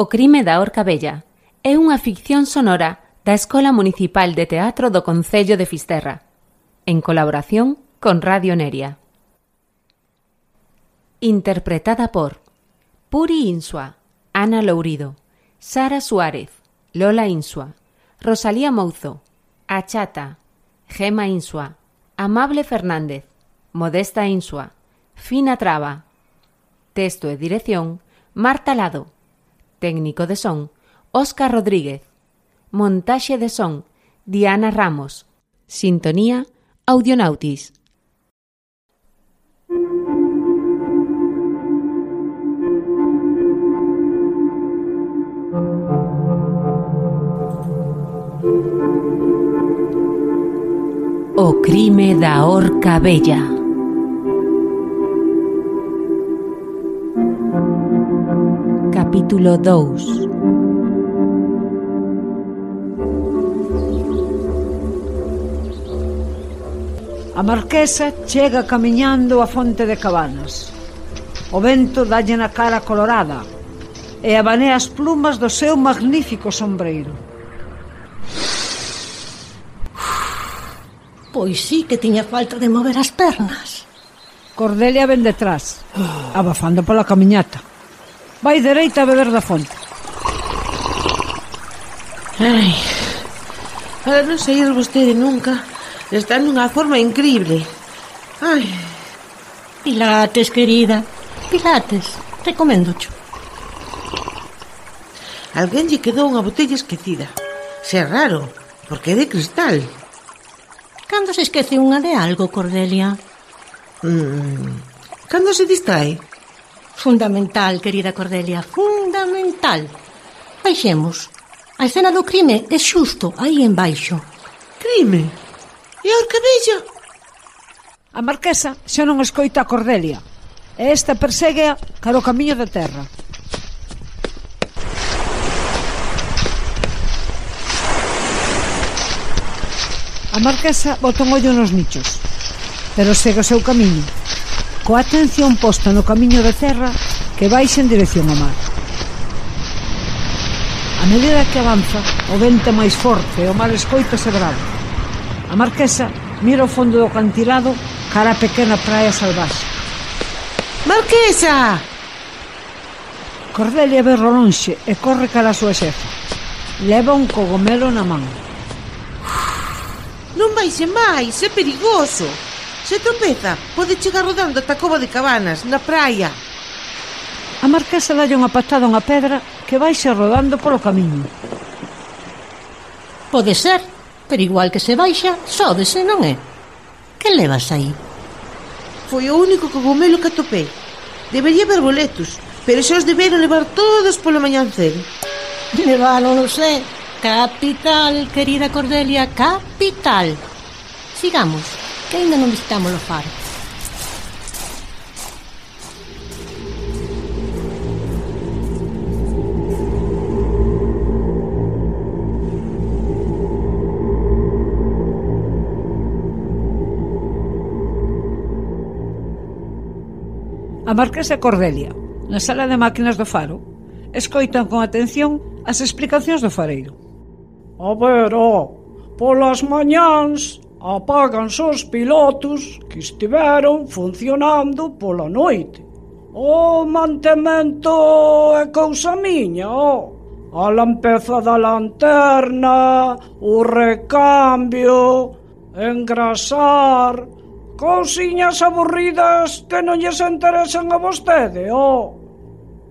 O crime da Horca Vella é unha ficción sonora da Escola Municipal de Teatro do Concello de Fisterra, en colaboración con Radio Neria. Interpretada por Puri Insua, Ana Lourido, Sara Suárez, Lola Insua, Rosalía Mouzo, A Chata, Gema Insua, Amable Fernández, Modesta Insua, Fina Traba. Texto e dirección, Marta Lado. Técnico de son, Óscar Rodríguez. Montaxe de son, Diana Ramos. Sintonía, Audionautis. O crime da Horca Vella. Capítulo 2. A marquesa chega camiñando a fonte de Cabanas. O vento dalle na cara colorada e abanea as plumas do seu magnífico sombreiro. Pois sí que tiña falta de mover as pernas. Cordelia ven detrás, abafando pola camiñata. Vai dereita a beber da fonte. Ai, para non sair vostede nunca, está nunha forma increíble. Ai. Pilates, querida, Pilates, recoméndocho. Alguén lle quedou unha botella esquecida. Se é raro, porque é de cristal. Cando se esquece unha de algo, Cordelia? Cando se distrae? Fundamental, querida Cordelia, fundamental. Baixemos. A escena do crime é xusto aí embaixo. Crime? E a Horca Vella? A marquesa xa non escoita a Cordelia e esta perséguea cara o camiño de terra. A marquesa bota un ollo nos nichos, pero segue o seu camiño, coa atención posta no camiño de terra que baixa en dirección ao mar. A medida que avanza, o vento é máis forte e o mar escoítase bravo. A marquesa mira o fondo do acantilado cara a pequena praia salvaxe. Marquesa! Cordelia ve ao lonxe e corre cara a súa xefa. Leva un cogomelo na man. Non baixe máis, é perigoso. Se tropeza, pode chegar rodando ata a cova de Cabanas, na praia. A marquesa dalle unha patada a unha pedra que baixa rodando polo camiño. Pode ser, pero igual que se baixa, sóbese, non é? Que levas aí? Foi o único cogomelo que atopei. Debería haber boletos, pero xa os deberon levar todos polo mañancedo. Levaron, non sei. Capital, querida Cordelia, capital. Sigamos, que ainda non visitamos o faro. A marquesa e Cordelia, na sala de máquinas do faro, escoitan con atención as explicacións do fareiro. A ver, polas mañáns apáganse os pilotos que estiveron funcionando pola noite. O mantemento é cousa miña, a lampeza da lanterna, o recambio, engrasar, cousiñas aburridas que non lles interesan a vostede,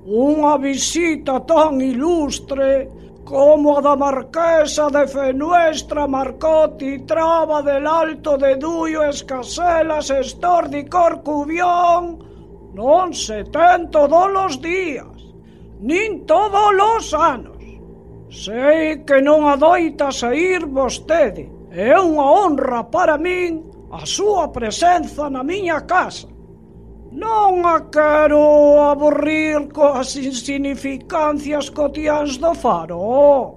Unha visita tan ilustre como a da marquesa de Fenuestra, Marcotti, Traba del Alto de Duio, Escaselas, Estordi, Corcubión, non se ten todos os días, nin todos os anos. Sei que non adoita saír vostede, é unha honra para min a súa presenza na miña casa. Non a quero aburrir coas insignificancias cotiáns do faro.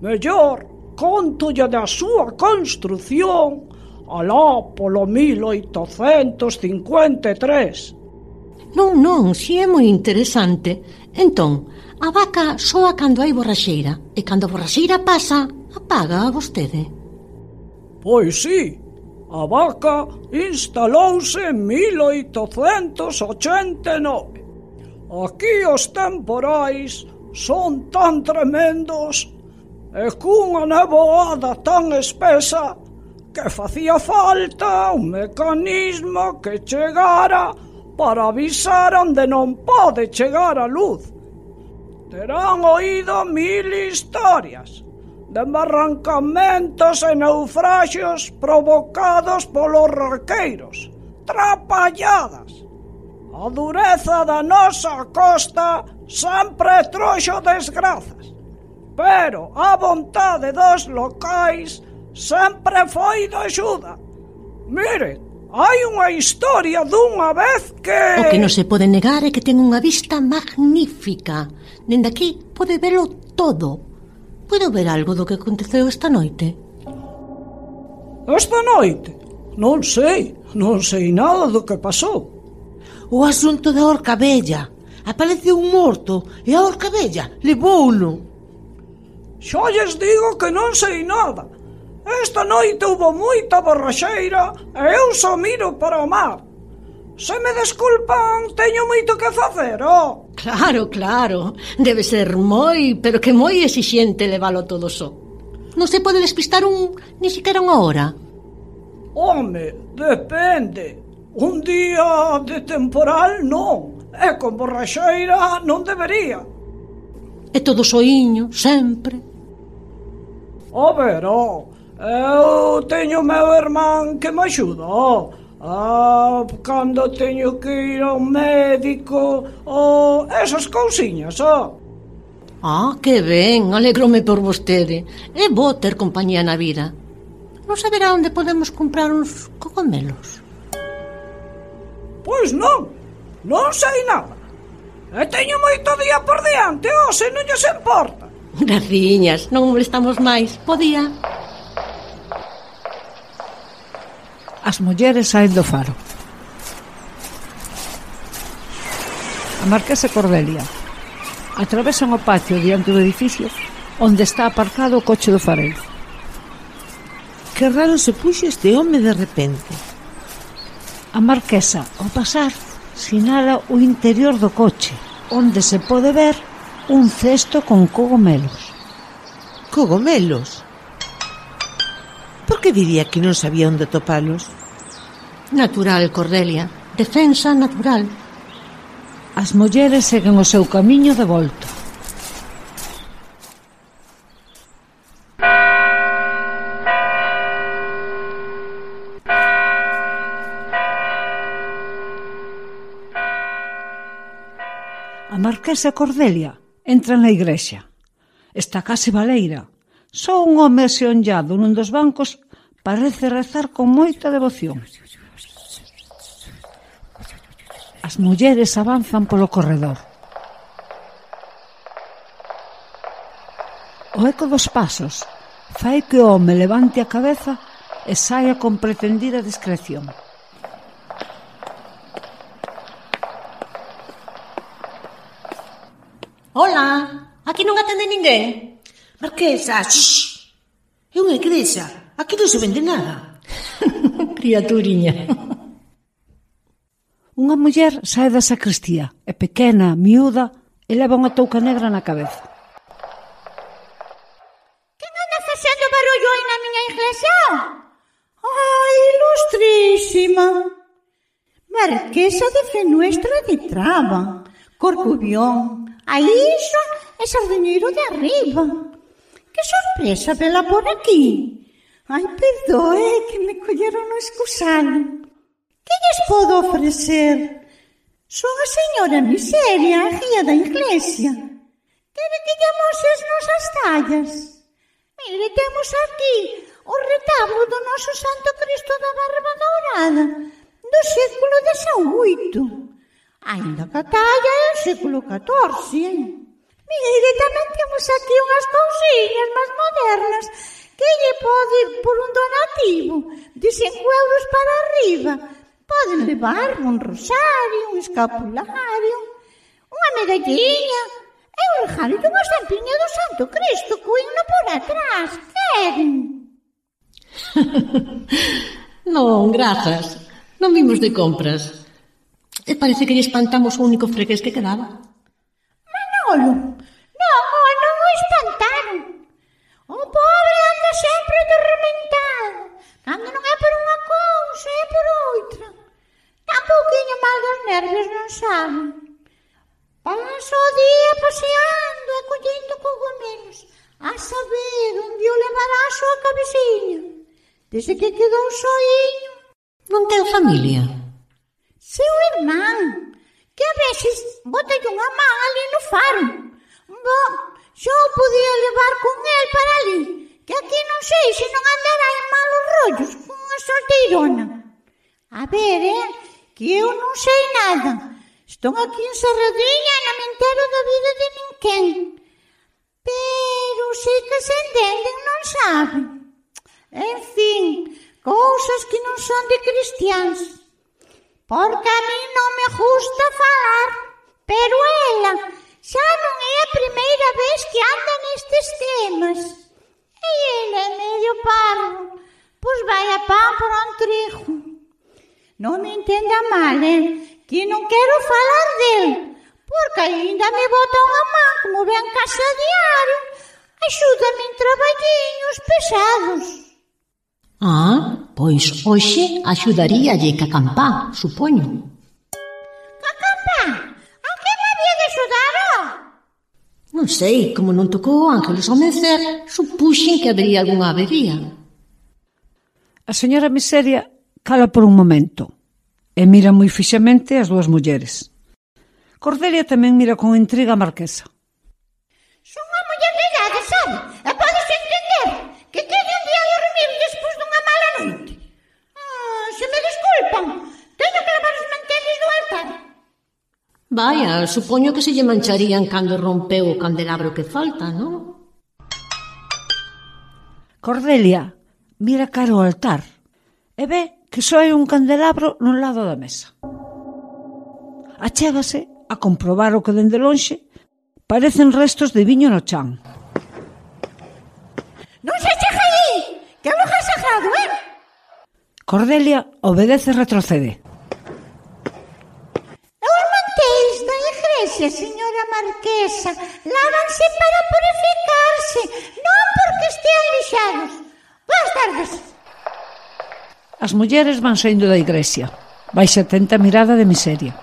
Mellor, contolle da súa construción alá polo 1853. Non, si é moi interesante. Entón, a vaca soa cando hai borraxeira, e cando a borraxeira pasa, apaga a vostede. Pois sí, a vaca instalouse en 1889. Aquí os temporais son tan tremendos e cunha neboada tan espesa que facía falta un mecanismo que chegara para avisar onde non pode chegar a luz. Terán oído 1000 historias de barrancamentos e naufraxios provocados polos raqueiros, trapalladas. A dureza da nosa costa sempre trouxo desgrazas, pero a vontade dos locais sempre foi de axuda. Miren, hai unha historia dunha vez que... O que non se pode negar é que ten unha vista magnífica. Dende aquí pode velo todo. Podo ver algo do que aconteceu esta noite? Esta noite? Non sei nada do que pasou. O asunto da orca vella. Apareceu un morto e a orca vella levouno. Xa lles digo que non sei nada. Esta noite houve moita borraxeira e eu só miro para o mar. Se me desculpan, teño moito que facer, oh. Claro. Debe ser pero que moi exixente levalo todo só. Non se pode despistar ni siquiera unha hora. Home, depende. Un día de temporal non. E con borraxeira non debería. E todo soiño, sempre. A ver, eu teño meu irmán que me axuda, cando teño que ir ao médico, esas cousiñas, Que ben, alegrome por vostede. É bo ter compañía na vida. Non saberá onde podemos comprar uns cogomelos? Pois non sei nada. E teño moito día por diante, se non lles importa. Graciñas, non molestamos máis. Podía. As mulleres saen do faro. A marquesa Cordelia atravesan o patio diante do edificio onde está aparcado o coche do fareiro. Que raro se puxo este home de repente. A marquesa, ao pasar, sinala o interior do coche, onde se pode ver un cesto con cogomelos. Cogomelos? Por que diría que non sabía onde topalos? Natural, Cordelia. Defensa natural. As mulleres seguen o seu camiño de volta. A marquesa Cordelia entra na igrexa. Está case baleira. Só un home aseonllado nun dos bancos parece rezar con moita devoción. As mulleres avanzan polo corredor. O eco dos pasos fai que o home levante a cabeza e saia con pretendida discreción. Hola, aquí non atende ninguén. Marquesa, shh. É unha igrexa. Aquí non se vende nada. Criaturiña. Unha muller sae da sacristía, é pequena, miúda, e leva unha touca negra na cabeza. Quen anda facendo barullo aí na miña iglesia? Ai, ilustrísima. Marquesa de Fenuestra de Traba, Corcubión, a Iso e Sardiñeiro de Arriba. Que sorpresa vela por aquí. Ai, perdoe que me colleron no excusado. Que lles podo ofrecer? Son a señora Miseria, a guía da iglesia. Quere que lle amoses nosas tallas? Mire, temos aquí o retablo do noso Santo Cristo da Barba Dourada do século XVIII. Ainda que a talla é o século XIV. Mire, tamén temos aquí unhas cousiñas máis modernas que lle pode ir por un donativo de 5 euros para arriba. Poden levar un rosario, un escapulario, unha medalliña e un regalo de unha estampiña do Santo Cristo co himno por atrás. Queren? Non, grazas. Non vimos de compras. E parece que lle espantamos o único fregués que quedaba. Manolo, non o espantaron. O pobre anda sempre atormentado. Cando non é por unha cousa, é por outra. Está un pouquiño mal dos nervios, non sabe. Pasa o día paseando e collendo cogomelos. A saber onde o levará a súa cabeciña. Desde que quedou soiño. Non ten familia? Seu irmán, que a veces bota unha man ali no faro. Bom, xa o podía levar con el para ali, que aquí non sei se non andará en malos rollos con unha solteirona. A ver, que eu non sei nada. Estou aquí encerradiña e non me entero da vida de ninguén. Pero sei que se entenden, non sabe. En fin, cousas que non son de cristiáns. Porque a mí non me gusta falar, pero ela xa non é a primeira vez que anda nestes temas. E ela é medio parvo, pois vai a pan por un trigo. Non me entenda mal, que non quero falar del, porque aínda me bota unha man como ven casa diario, axúdame en traballiños pesados. Pois hoxe axudaríalle ca campá, supoño. Ca campá? A que me había de axudar, Non sei, como non tocou o Ángeles ao mencer, supuxen que habería algunha avería. A señora Miseria cala por un momento e mira moi fixamente as dúas mulleres. Cordelia tamén mira con intriga a marquesa. Son unha muller de idade, sabe? E podes entender que quede un día a dormir despois dunha mala noite. Se me desculpan, teño que levar os manteles do altar. Vaya, supoño que se lle mancharían cando rompeu o candelabro que falta, non? Cordelia mira cara ao altar e ve que só hai un candelabro nun lado da mesa. Achégase a comprobar o que dende lonxe parecen restos de viño no chan. Non se chega aí, que é un lugar sagrado, Cordelia obedece e retrocede. Os mantéis da igrexa, señora marquesa, lávanse para purificarse, non porque estean lixados. Boas tardes. As mulleres van saindo da igrexa, baixa atenta mirada de Miseria.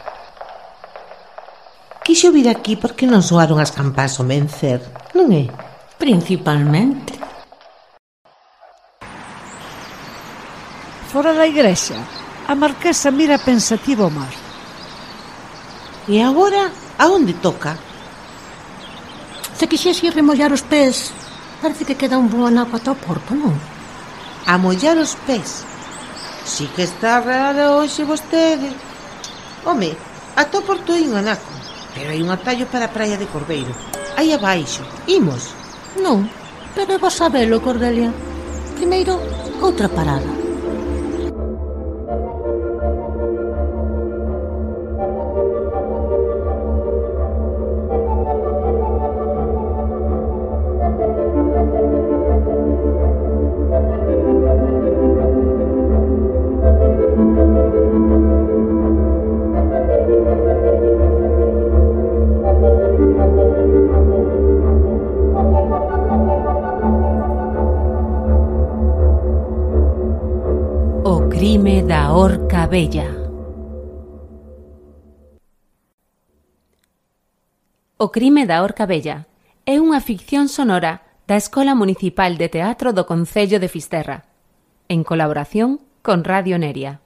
Quixo vir aquí porque non soaron as campás ao mencer, non é? Principalmente. Fora da igrexa, a marquesa mira pensativa ao mar. E agora, a onde toca? Se quixese remollar os pés, parece que queda un bo anaco ata o porto, non? A mollar os pés. Si que está rara hoxe vostede. Home, ata o porto hai un anaco, pero hai un atallo para a praia de Corbeiro. Aí abaixo, imos. Non, pero vos sabelo, Cordelia. Primeiro, outra parada. O crime da Horca Bella. O crime da Horca Bella é unha ficción sonora da Escola Municipal de Teatro do Concello de Fisterra, en colaboración con Radio Neria.